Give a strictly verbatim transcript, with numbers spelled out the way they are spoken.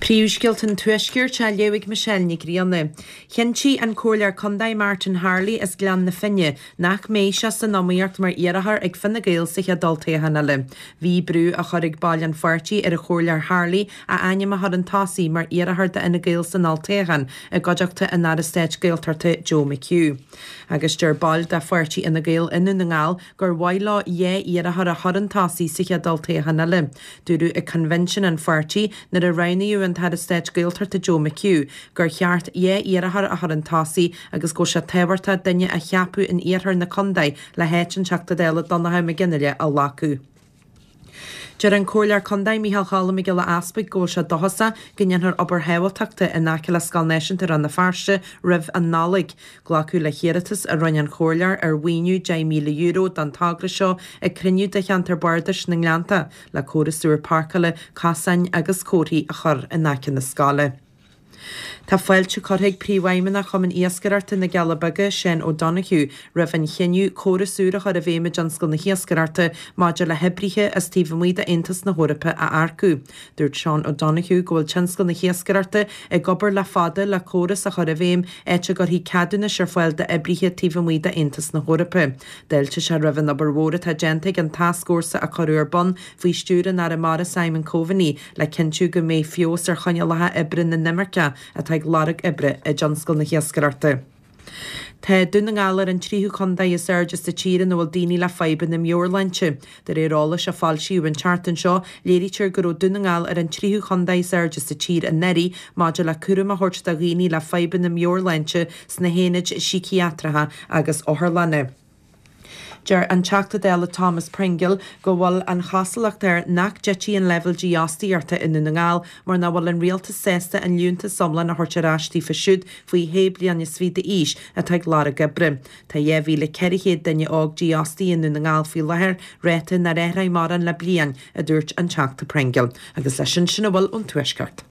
Príomhscéalta an Tuaiscirt á léamh ag Michelle Nic Grianna. Chinntigh an Comhairleoir Contae Martin Harley as Gleann na Finne nach mbeidh sé san iomaíocht mar iarrthóir ag Fine Gael sa chéad olltoghchán eile. Bhí brú á chur ag baill an pháirtí ar an Chomhairleoir Harley a ainm a chur chun tosaigh mar iarrthóir d'Fhine Gael san olltoghchán i gcuideachta an Aire Stáit Gaeltachta Joe McHugh. Agus deir baill de pháirtí Fhine Gael i nDún na nGall gur mhaith leo dhá iarrthóir a chur chun tosaigh sa chéad olltoghchán eile. Dúradh ag convention an pháirtí nuair a roghnaíodh an tAire Stáit Gaeltachta Joe McHugh gur cheart dhá iarrthóir a chur chun tosaigh agus go bhfuil sé tábhachtach duine a cheapadh in iarthar na contae le háit an Teachta Dála Donnchadh Mac Fhionnghaile a ghlacadh. Deir an Comhairleoir Contae Micheál Choilm Mac Giolla Easpaig go bhfuil sé dóchasach go ndéanfar obair shábháilteachta in aice le Scoil Náisiúnta Rann na Feirste roimh an Nollaig. Glacadh le hiarratas a rinne an Comhairleoir ar mhaoiniú deich míle euro don togra seo ag cruinniú de cheantar bardais na nGleannta le córas úr páirceála, cosáin agus comharthaí a chur in aice na scoile. Tá fáilte curtha ag Príomhfheidhmeannach Chumann Iascaireachta na gCealla Beaga, Seán O'Donoghue, roimh an chinneadh córas úr a chur i bhfeidhm i dtionscal na hiascaireachta maidir le hoibrithe as taobh amuigh d'Aontas na hEorpa a earcú. Dúirt Seán O'Donoghue go bhfuil tionscal na hiascaireachta ag obair le fada le córas a chur i bhfeidhm áit a gcuirfí ceadúnais ar fáil d'oibrithe taobh amuigh d'Aontas na hEorpa. D'fháiltigh sé roimh an obair mhór atá déanta ag an tascfhórsa a cuireadh ar bun faoi stiúir an Aire Mara Simon Coveney le cinntiú go mbeidh feabhas ar choinníollacha oibre na n-imirceach atá ag lorg oibre i dtionscal na hiascaireachta. Tá Dún na nGall ar an tríú contae is airde sa tír ina bhfuil daoine le fadhbanna meabhairshláinte. De réir eolais a foilsíodh an tseachtain seo, léirítear go raibh Dún na nGall ar an tríú contae is airde sa tír anuraidh maidir le cúram a thabhairt do dhaoine le fadhbanna meabhairshláinte sna haonaid síciatracha agus otharlanna. Deir an Teachta Dála Thomas Pringle go bhfuil an chosúlacht air nach dtitfidh an leibhéal dífhostaíochta i nDún na nGall mar nach bhfuil an rialtas sásta an liúntas iomlán a thabhairt ar ais daofa siúd faoi shé bliana is fiche d'aois atá ag lorg oibre. Tá dhá mhíle ceithre chéad duine óg dífhostaithe i nDún na nGall faoi láthair, ráta nár athraigh mórán le bliain, a dúirt an Teachta Pringle. Agus leis sin sin a bhfuil ón Tuaisceart.